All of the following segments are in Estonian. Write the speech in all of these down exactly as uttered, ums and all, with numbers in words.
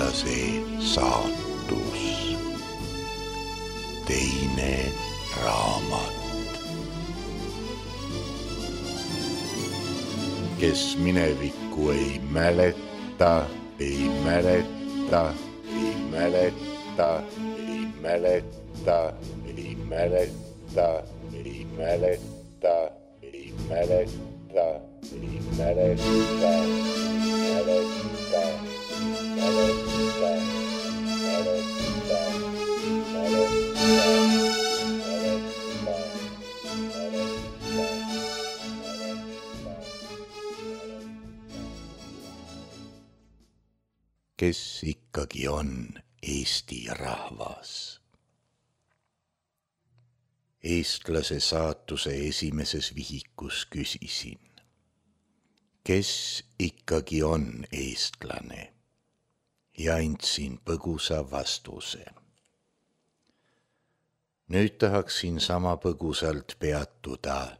eestlase saatus. Teine raamat. Kes minevikku ei mäleta, ei mäleta, ei mäleta, ei mäleta, ei mäleta, ei mäleta, ei mäleta, ei mäleta, mäleta, mäleta, mäleta, kes ikkagi on Eesti rahvas? Eestlase saatuse esimeses vihikus küsisin, kes ikkagi on eestlane, ja andsin põgusa vastuse. Nüüd tahaksin sama põgusalt peatuda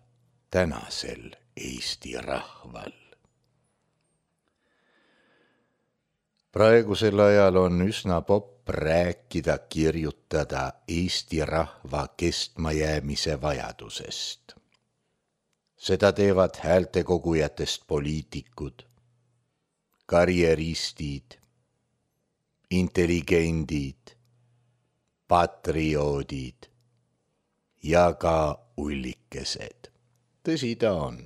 tänasel Eesti rahval. Praegusel ajal on üsna popp rääkida, kirjutada Eesti rahva kestmajäämise vajadusest. Seda teevad häältekogujatest poliitikud, karjeristid, intelligendid, patrioodid ja ka ullikesed. Tõsi ta on.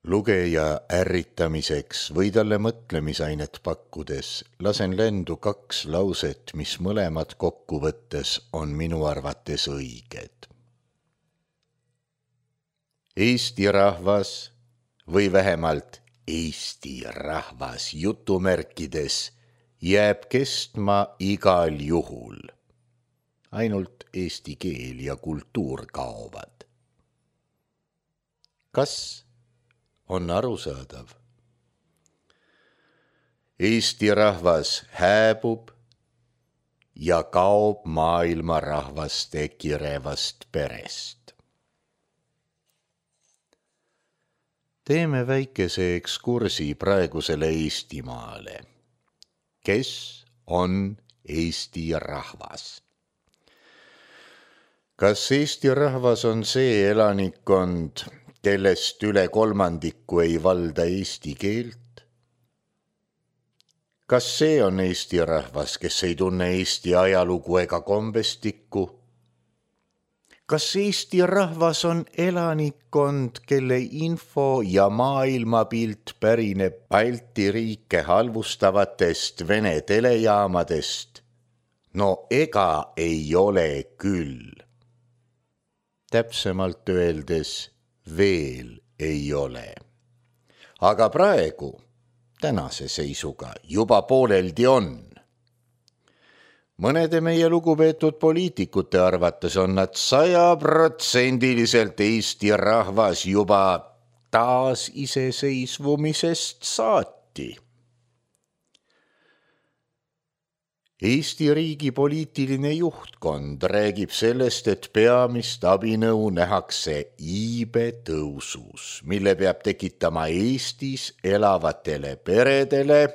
Lugeja ärritamiseks või talle mõtlemisainet pakkudes lasen lendu kaks lauset, mis mõlemad kokkuvõttes on minu arvates õiged. Eesti rahvas või vähemalt Eesti rahvas jutumärkides jääb kestma igal juhul. Ainult eesti keel ja kultuur kaovad. Kas on arusaadav? Eesti rahvas hääbub ja kaob maailma rahvaste kirevast perest. Teeme väikese ekskursi praegusele Eestimaale. Kes on Eesti rahvas? Kas Eesti rahvas on see elanikkond, kellest üle kolmandiku ei valda eesti keelt? Kas see on Eesti rahvas, kes ei tunne Eesti ajalugu ega kombestikku? Kas Eesti rahvas on elanikkond, kelle info ja maailmapilt pärineb Balti riike halvustavatest Vene telejaamadest? No ega ei ole küll. Täpsemalt öeldes veel ei ole. Aga praegu, tänase seisuga, juba pooleldi on. Mõnede meie lugupeetud poliitikute arvates on nad sajaprotsendiliselt Eesti rahvas juba taas iseseisvumisest saati. Eesti riigi poliitiline juhtkond räägib sellest, et peamist abinõu nähakse iibe tõusus, mille peab tekitama Eestis elavatele peredele,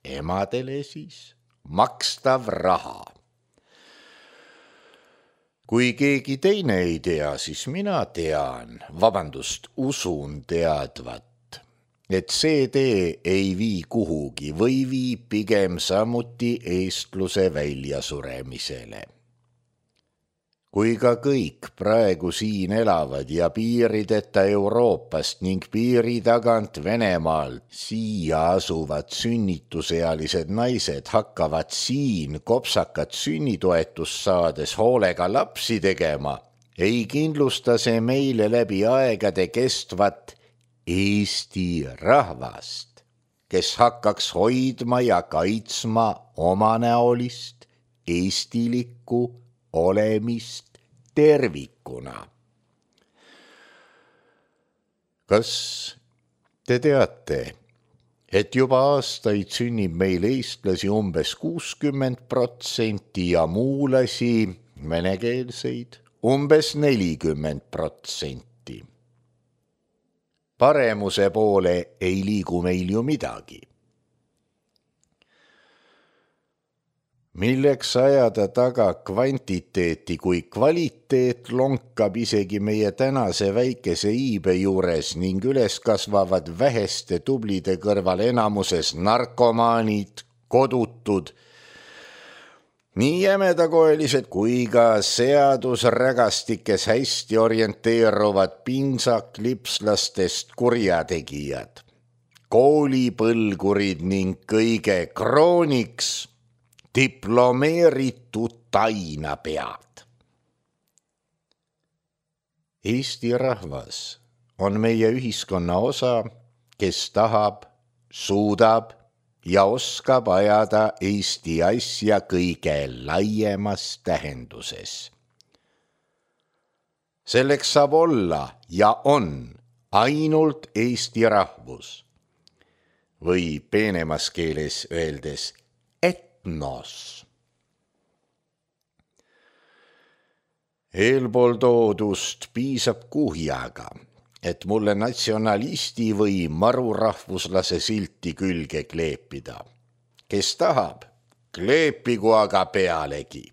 emadele siis, makstav raha. Kui keegi teine ei tea, siis mina tean, vabandust, usun teadvat, et see tee ei vii kuhugi või viib pigem samuti eestluse väljasuremisele. Kui ka kõik praegu siin elavad ja piirideta Euroopast ning piiri tagant Venemaalt siia asuvad sünnitusealised naised hakkavad siin kopsakat sünnitoetust saades hoolega lapsi tegema, ei kindlusta see meile läbi aegade kestvat Eesti rahvast, kes hakkaks hoidma ja kaitsma omanäolist, eestilikku olemist tervikuna. Kas te teate, et juba aastaid sünnib meil eestlasi umbes kuuskümmend protsenti ja muulasi, venekeelseid, umbes nelikümmend protsenti. Paremuse poole ei liigu meil ju midagi. Milleks ajada taga kvantiteeti, kui kvaliteet lonkab isegi meie tänase väikese iibe juures ning üles kasvavad väheste tublide kõrval enamuses narkomaanid, kodutud, nii jämedakoelised kui ka seadusrägastikes hästi orienteeruvad pinsaklipslastest kurjategijad, koolipõlgurid ning kõige krooniks diplomeeritud tainapead. Eesti rahvas on meie ühiskonna osa, kes tahab, suudab ja oskab ajada Eesti asja kõige laiemas tähenduses. Selleks saab olla ja on ainult Eesti rahvus või peenemas keeles öeldes etnos. Eelpool toodust piisab kuhjaga, et mulle natsionalisti või marurahvuslase silti külge kleepida. Kes tahab, kleepigu aga pealegi.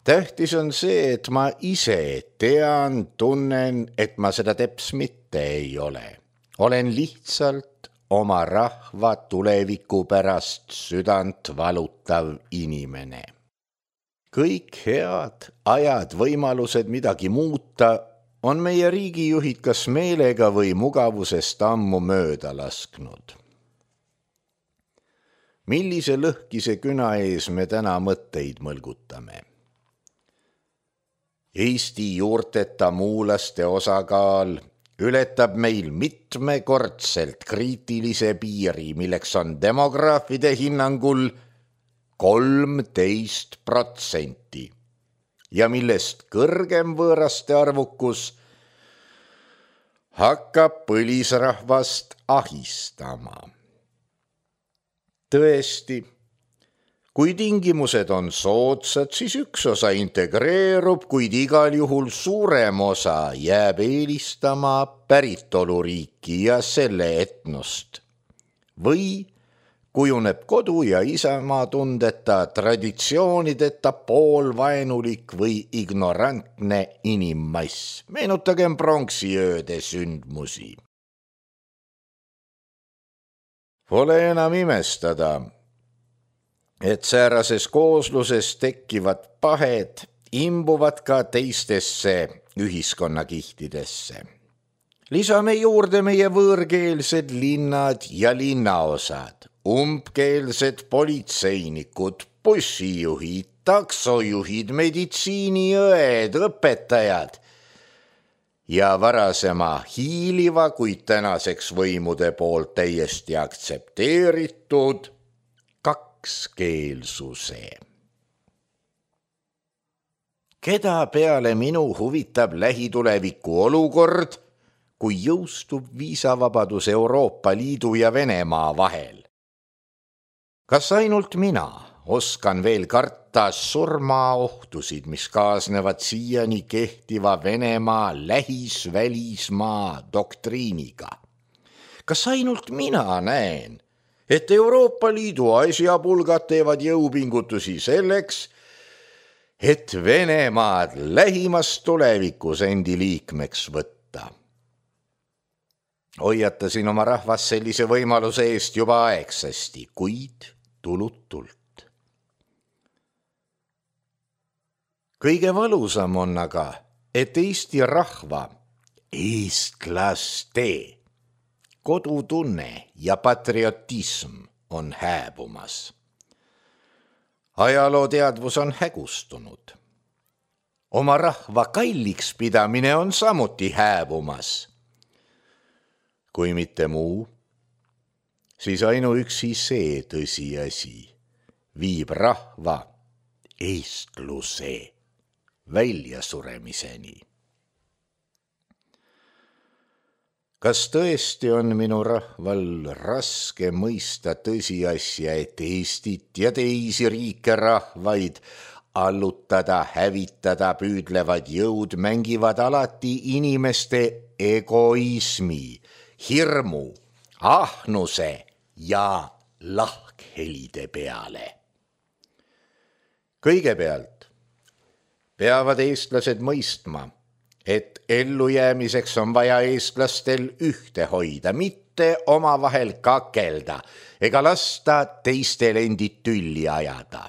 Tähtis on see, et ma ise tean, tunnen, et ma seda teps mitte ei ole. Olen lihtsalt oma rahva tuleviku pärast südant valutav inimene. Kõik head ajad, võimalused midagi muuta on meie riigijuhid kas meelega või mugavusest ammu mööda lasknud. Millise lõhkise küna ees me täna mõtteid mõlgutame? Eesti juurteta muulaste osakaal ületab meil mitmekordselt kriitilise piiri, milleks on demograafide hinnangul kolmteist protsenti ja millest kõrgem võõraste arvukus hakkab põlisrahvast ahistama. Tõesti, kui tingimused on soodsad, siis üks osa integreerub, kuid igal juhul suurem osa jääb eelistama päritoluriiki ja selle etnost. Või kujuneb kodu ja isamaa tundeta, traditsioonideta poolvaenulik või ignorantne inimmass. Meenutagem pronksiööde sündmusi. Pole enam imestada, et säärases koosluses tekkivad pahed imbuvad ka teistesse ühiskonnakihtidesse. Lisame juurde meie võõrkeelsed linnad ja linnaosad, umbkeelsed politseinikud, bussijuhid, taksojuhid, meditsiiniõed, õpetajad ja varasema hiiliva, kuid tänaseks võimude poolt täiesti aktsepteeritud kakskeelsuse. Keda peale minu huvitab lähituleviku olukord, kui jõustub viisavabadus Euroopa Liidu ja Venemaa vahel? Kas ainult mina oskan veel karta surmaohtusid, mis kaasnevad siiani kehtiva Venemaa lähis-välismaa doktriiniga? Kas ainult mina näen, et Euroopa Liidu asjapulgad teevad jõupingutusi selleks, et Venemaad lähimas tulevikus endi liikmeks võtta? Hoiatasin oma rahvas sellise võimaluse eest juba aegsasti, kuid tulutult. Kõige valusam on aga, et Eesti rahva, eestlaste kodutunne ja patriotism on hääbumas. Ajalooteadvus on hägustunud. Oma rahva kalliks pidamine on samuti hääbumas. Kui mitte muu, siis ainuüksi see tõsiasi viib rahva eestluse väljasuremiseni. Kas tõesti on minu rahval raske mõista tõsiasja, et Eestit ja teisi riike rahvaid allutada, hävitada püüdlevad jõud mängivad alati inimeste egoismi, hirmu, ahnuse ja lahkhelide peale? Kõigepealt peavad eestlased mõistma, et ellujäämiseks on vaja eestlastel ühte hoida, mitte omavahel kakelda ega lasta teistel endid tülli ajada.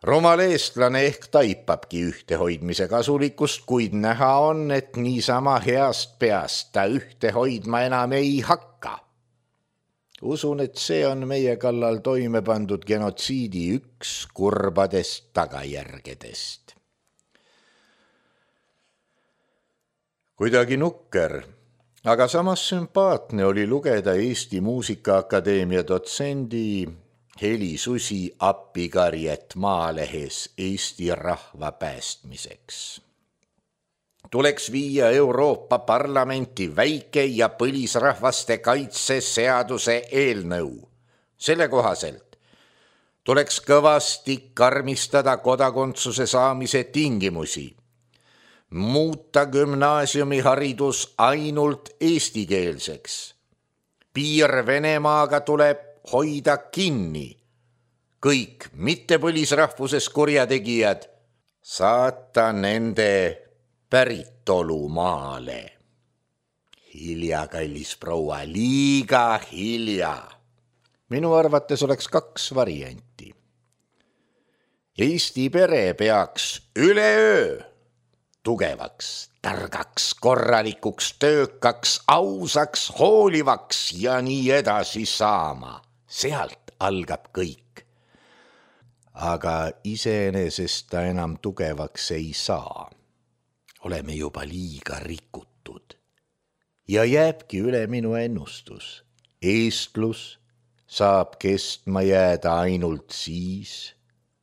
Rumal eestlane ehk taipabki ühtehoidmise kasulikkust, kuid näha on, et niisama heast peast ta ühte hoidma enam ei hakka. Usun, et see on meie kallal toime pandud genotsiidi üks kurbadest tagajärgedest. Kuidagi nukker, aga samas sümpaatne oli lugeda Eesti Muusikaakadeemia dotsendi Heli Susi appikarjet Maalehes Eesti rahva päästmiseks. Tuleks viia Euroopa Parlamenti väike- ja põlisrahvaste kaitseseaduse eelnõu. Selle kohaselt tuleks kõvasti karmistada kodakondsuse saamise tingimusi, muuta gümnaasiumiharidus ainult eestikeelseks. Piir Venemaaga tuleb hoida kinni. Kõik mittepõlisrahvuses kurjategijad saata nende päritolumaale. Hilja, kallis proua, liiga hilja. Minu arvates oleks kaks varianti. Eesti pere peaks üleöö tugevaks, targaks, korralikuks, töökaks, ausaks, hoolivaks ja nii edasi saama. Sealt algab kõik. Aga iseenesest ta enam tugevaks ei saa. Oleme juba liiga rikutud. Ja jääbki üle minu ennustus. Eestlus saab kestma jääda ainult siis,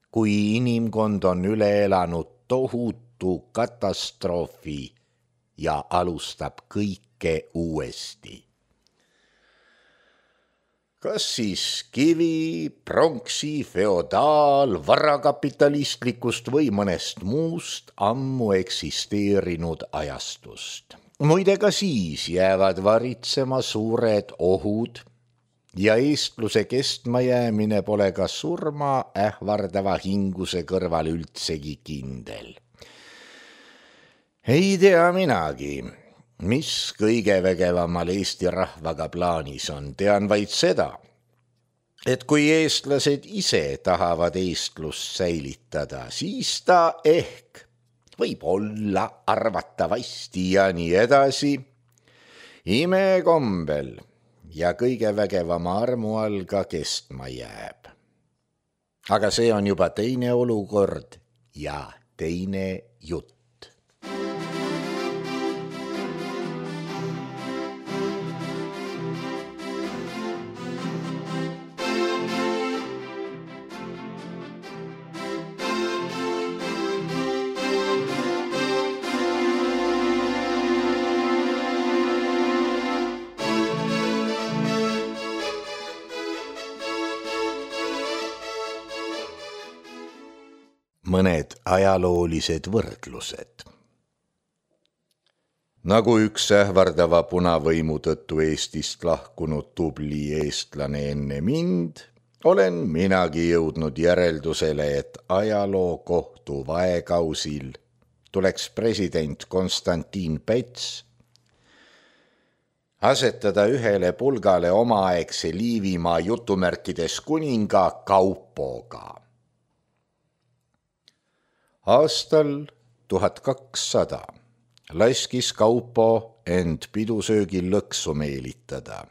kui inimkond on üle elanud tohutu katastroofi ja alustab kõike uuesti. Kas siis kivi, pronksi, feodaal, varakapitalistlikust või mõnest muust ammu eksisteerinud ajastust. Muide ka siis jäävad varitsema suured ohud ja eestluse kestma jäämine pole ka surma ähvardava hinguse kõrval üldsegi kindel. Ei tea minagi, mis kõige vägevamal Eesti rahvaga plaanis on, tean vaid seda, et kui eestlased ise tahavad eestlust säilitada, siis ta ehk võib olla arvatavasti ja nii edasi imekombel ja kõige vägevama armu all ka kestma jääb. Aga see on juba teine olukord ja teine jutt. Mõned ajaloolised võrdlused. Nagu üks ähvardava punavõimu tõttu Eestist lahkunud tubli eestlane enne mind, olen minagi jõudnud järeldusele, et ajaloo kohtu vaekausil tuleks president Konstantin Päts asetada ühele pulgale omaaegse Liivimaa jutumärkides kuninga Kaupoga. Aastal tuhat kakssada laskis Kaupo end pidusöögil lõksu meelitada.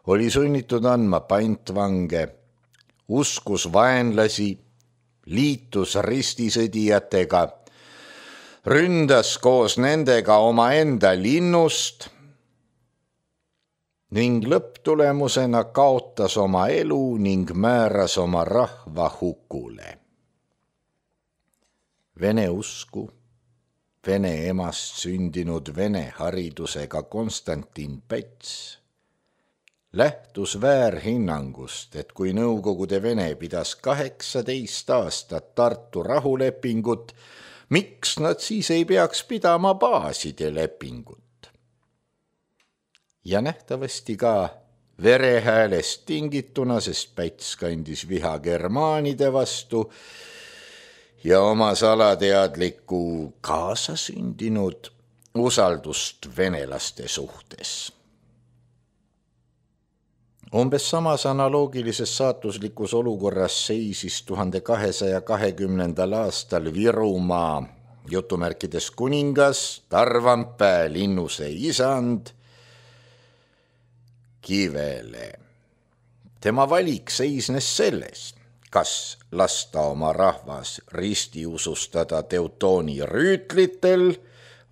Oli sunnitud andma pantvange, uskus vaenlasi, liitus ristisõdijatega, ründas koos nendega omaenda linnust ning lõpptulemusena kaotas oma elu ning määras oma rahva hukule. Vene usku, vene emast sündinud vene haridusega Konstantin Päts lähtus väärhinnangust, et kui Nõukogude Vene pidas kaheksateist aastat Tartu rahulepingut, miks nad siis ei peaks pidama baaside lepingut? Ja nähtavasti ka verehäälest tingituna, sest Päts kandis viha germaanide vastu ja oma salateadliku kaasasündinud usaldust venelaste suhtes. Umbes samas analoogilises saatuslikus olukorras seisis tuhande kahesaja kahekümnendal aastal Virumaa jutumärkides kuningas Tarvampää linnuse isand Kivele. Tema valik seisnes selles, kas lasta oma rahvas ristiusustada Teutooni rüütlitel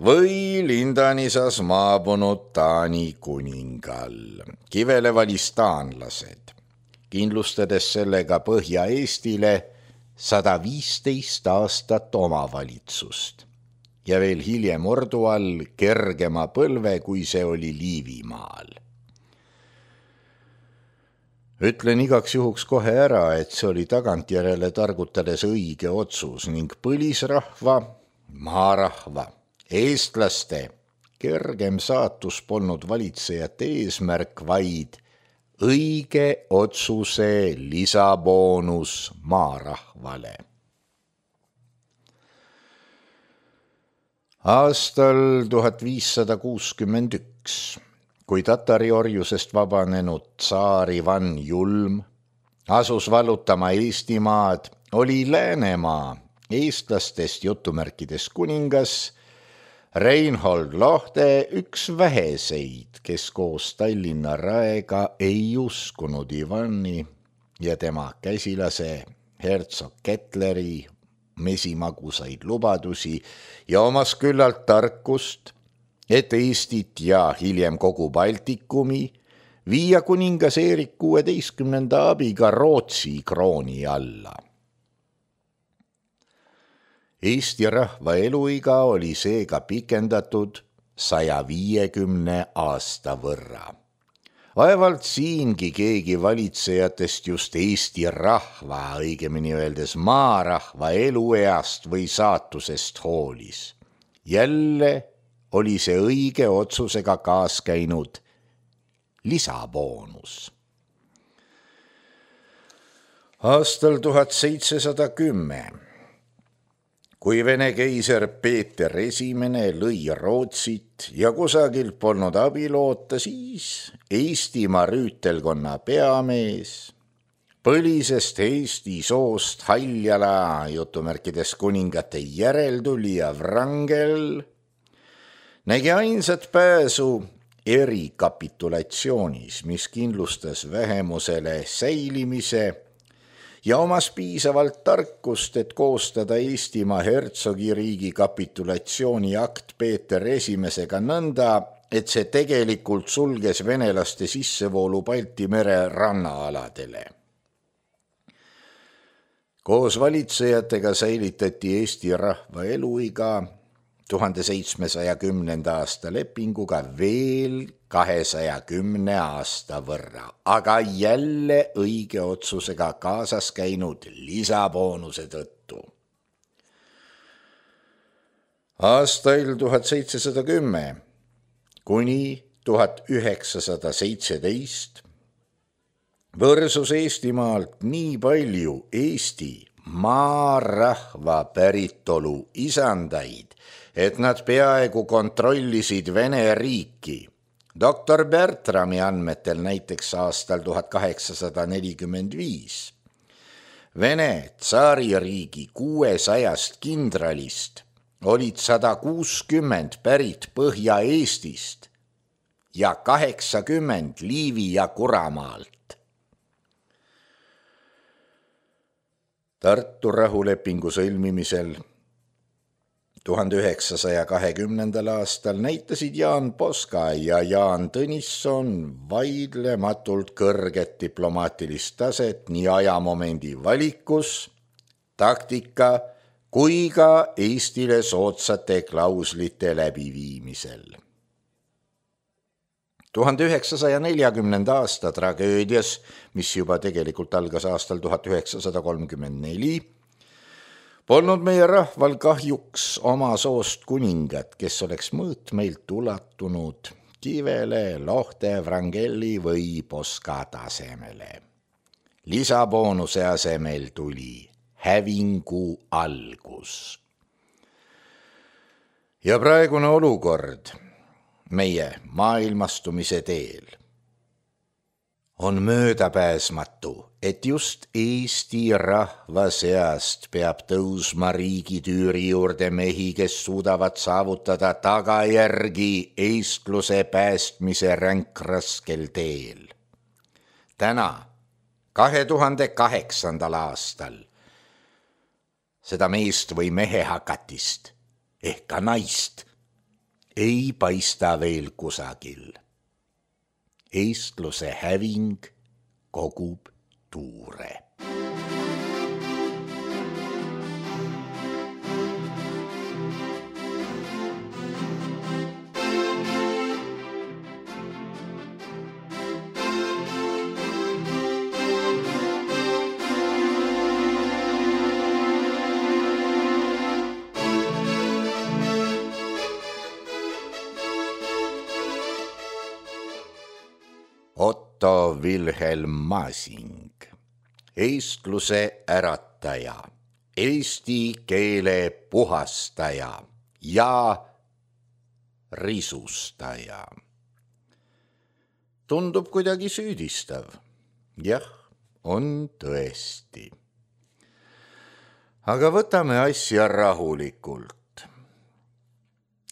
või Lindanisas maabunud Taani kuningal. Kivele valis taanlased, kindlustades sellega Põhja-Eestile sada viisteist aastat omavalitsust ja veel hiljem Ordu all kergema põlve, kui see oli Liivimaal. Ütlen igaks juhuks kohe ära, et see oli tagantjärele targutades õige otsus ning põlisrahva, maarahva, eestlaste kergem saatus polnud valitsejate eesmärk, vaid õige otsuse lisaboonus maarahvale. Aastal tuhat viissada kuuskümmend üks, kui tatari orjusest vabanenud tsaar Ivan Julm asus vallutama Eestimaad, oli Läänemaa eestlastest jutumärkides kuningas Reinhold Lohte üks väheseid, kes koos Tallinna raega ei uskunud Ivani ja tema käsilase hertsog Kettleri mesimagusaid lubadusi ja omas küllalt tarkust, et Eestit ja hiljem kogu Baltikumi viia kuningas Erik kuueteistkümnenda abiga Rootsi krooni alla. Eesti rahva eluiga oli seega pikendatud saja viiekümne aasta võrra. Vaevalt siingi keegi valitsejatest just Eesti rahva, õigemini öeldes maarahva elueast või saatusest hoolis. Jälle oli see õige otsusega kaas käinud lisaboonus. Aastal tuhat seitsesada kümme kui Vene keiser Peeter Esimene lõi Rootsit ja kusagilt polnud abi loota, siis Eestimaa rüütelkonna peamees, põlisest Eesti soost Haljala jutumärkides kuningate järeltulija Wrangel, nägi ainsat pääsu erikapitulatsioonis, mis kindlustas vähemusele säilimise ja omas piisavalt tarkust, et koostada Eestimaa hertsogiriigi kapitulatsiooni akt Peeter Esimesega nõnda, et see tegelikult sulges venelaste sissevoolu Balti mere rannaaladele. Koos valitsejatega säilitati Eesti rahva eluiga tuhande seitsmesaja kümnenda aasta lepinguga veel kahesaja kümne aasta võrra, aga jälle õige otsusega kaasas käinud lisaboonuse tõttu. Aastail tuhat seitsesada kümme kuni tuhat üheksasada seitseteist võrsus Eestimaalt nii palju Eesti maarahva päritolu isandaid, et nad peaaegu kontrollisid Vene riiki. doktor Bertrami andmetel näiteks aastal tuhat kaheksasada nelikümmend viis. Vene tsaaririigi kuuesajast kindralist olid sada kuuskümmend pärit Põhja-Eestist ja kaheksakümmend Liivi ja Kuramaalt. Tartu rahulepingu sõlmimisel tuhande üheksasaja kahekümnendal aastal näitasid Jaan Poska ja Jaan Tõnisson vaidlematult kõrget diplomaatilist taset nii ajamomendi valikus, taktika kui ka Eestile soodsate klauslite läbiviimisel. tuhande üheksasaja neljakümnenda aasta tragöödias, mis juba tegelikult algas aastal tuhat üheksasada kolmkümmend neli, polnud meie rahval kahjuks oma soost kuningat, kes oleks mõõtmeilt ulatunud kivele, lohte, vrangelli või poska tasemele. Lisaboonuse asemel tuli hävingu algus. Ja praegune olukord meie maailmastumise teel on möödapääsmatu, et just Eesti rahva seast peab tõusma riigitüüri juurde mehi, kes suudavad saavutada tagajärgi eestluse päästmise ränkraskel teel. Täna, kahe tuhande kaheksandal aastal, seda meest või mehe hakatist ehk ka naist ei paista veel kusagil. Eestluse häving kogub tuure. Otto Wilhelm Masing, eestluse ärataja, eesti keele puhastaja ja risustaja. Tundub kuidagi süüdistav. Jah, on tõesti. Aga võtame asja rahulikult.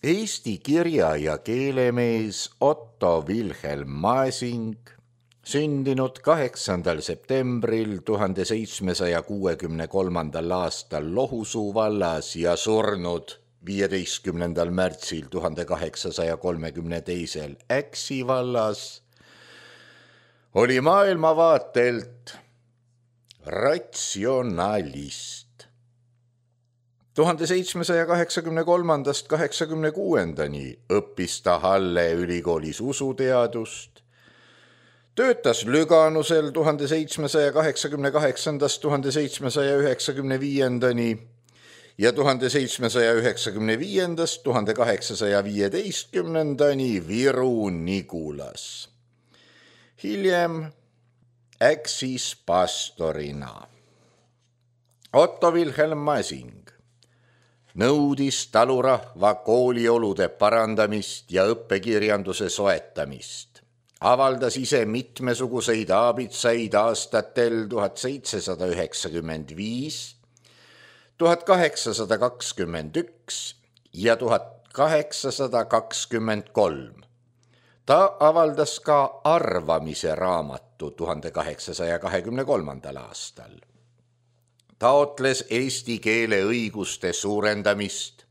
Eesti kirja- ja keelemees Otto Wilhelm Masing, sündinud kaheksandal septembril tuhande seitsmesaja kuuekümne kolmandal aastal Lohusuu vallas ja surnud viieteistkümnendal märtsil tuhande kaheksasaja kolmekümne teisel Äksi vallas, oli maailmavaatelt ratsionalist. tuhande seitsmesaja kaheksakümne kolmandast kaheksakümne kuuendani õppis ta Halle ülikoolis usuteadust, töötas Lüganusel tuhande seitsmesaja kaheksakümne kaheksandast tuhande seitsmesaja üheksakümne viiendani ja tuhande seitsmesaja üheksakümne viiendast tuhande kaheksasaja viieteistkümnendani Viru-Nigulas. Hiljem Äksis pastorina. Otto Wilhelm Masing nõudis talurahva kooliolude parandamist ja õppekirjanduse soetamist. Avaldas ise mitmesuguseid aabitsaid aastatel tuhat seitsesada üheksakümmend viis, tuhat kaheksasada kakskümmend üks ja tuhat kaheksasada kakskümmend kolm. Ta avaldas ka arvamise raamatu tuhande kaheksasaja kahekümne kolmandal aastal. Taotles eesti keele õiguste suurendamist,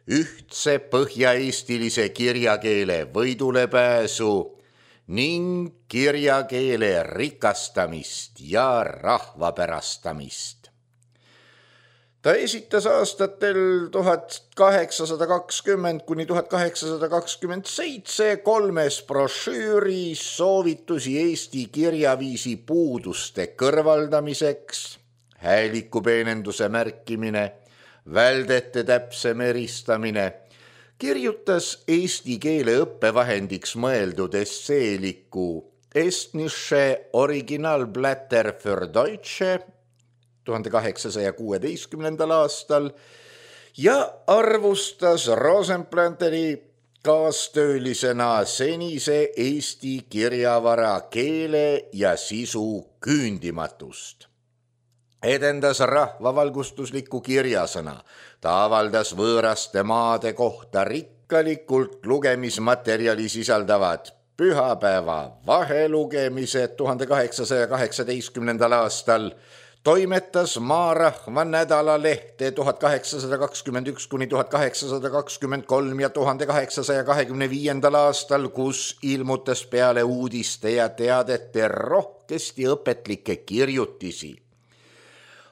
ühtse põhja-eestilise kirjakeele võidulepääsu ning kirjakeele rikastamist ja rahvapärastamist. Ta esitas aastatel tuhat kaheksasada kakskümmend kuni tuhat kaheksasada kakskümmend seitse kolmes brošüüris soovitusi eesti kirjaviisi puuduste kõrvaldamiseks, häälikupeenenduse märkimine, väldete täpsem eristamine, kirjutas eesti keele õppevahendiks mõeldud esseeliku Estnische Originalblätter für Deutsche tuhande kaheksasaja kuueteistkümnendal aastal ja arvustas Rosenplanteri kaastöölisena senise eesti kirjavara keele ja sisu küündimatust. Edendas rahvavalgustuslikku kirjasõna. Ta avaldas võõraste maade kohta rikkalikult lugemismaterjali sisaldavad pühapäeva vahelugemised tuhande kaheksasaja kaheksateistkümnendal aastal, toimetas Maarahva nädalalehte tuhat kaheksasada kakskümmend üks kuni tuhat kaheksasada kakskümmend kolm ja tuhande kaheksasaja kahekümne viiendal aastal, kus ilmutas peale uudiste ja teadete rohkesti õpetlikke kirjutisi.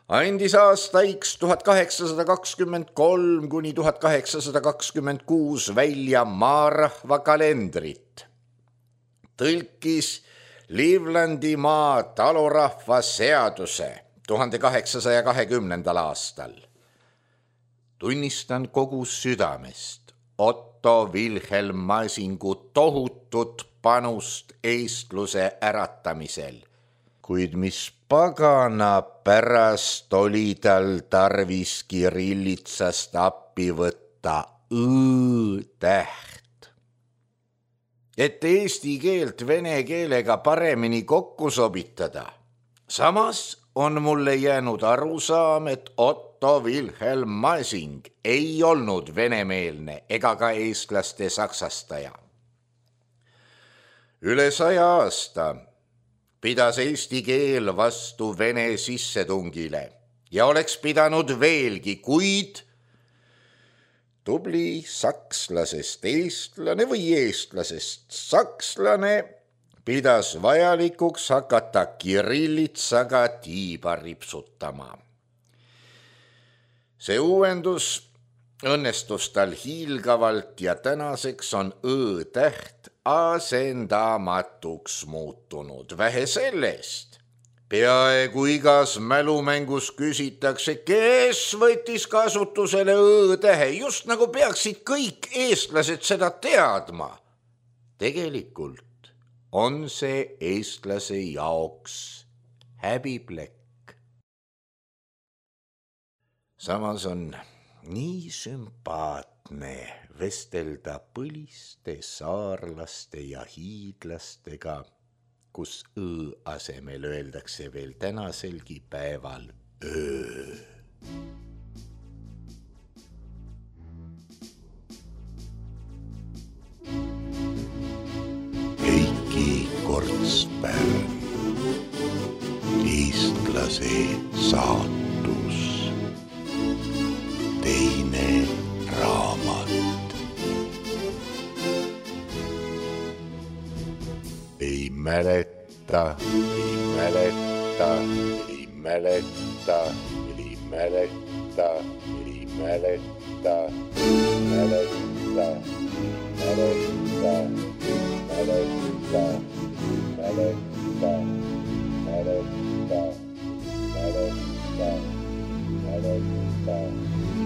Andis aastaiks tuhat kaheksasada kakskümmend kolm kuni tuhat kaheksasada kakskümmend kuus välja Maarahva kalendrit. Tõlkis Livlandimaa talurahva seaduse tuhande kaheksasaja kahekümnendal aastal. Tunnistan kogu südamest Otto Otto Wilhelm Masingu tohutut panust eestluse äratamisel, kuid mis pagana pärast oli tal tarvis kirillitsast appi võtta õ-täht. Et eesti keelt vene keelega paremini kokku sobitada. Samas on mulle jäänud arusaam, et Otto Wilhelm Masing ei olnud venemeelne ega ka eestlaste saksastaja. Üle saja aasta pidas eesti keel vastu vene sissetungile ja oleks pidanud veelgi, kuid tubli sakslasest eestlane või eestlasest sakslane pidas vajalikuks hakata kirillitsaga tiiba ripsutama. See uuendus õnnestus tal hiilgavalt ja tänaseks on õ-täht asendamatuks muutunud. Vähe sellest, peaaegu igas mälumängus küsitakse, kes võttis kasutusele õ-tähe, just nagu peaksid kõik eestlased seda teadma. Tegelikult on see eestlase jaoks häbiplekk. Samas on nii sümpaatne vestelda põliste saarlaste ja hiidlastega, kus õ asemel öeldakse veel tänaselgi päeval öö. Kortspärn, eestlase saatus, teine raamat. Ei mäleta, ei mäleta, ei mäleta, ei mäleta, ei mäleta, mäleta, mäleta, mäleta. Mäleta, mäleta, mäleta, mäleta, mäleta.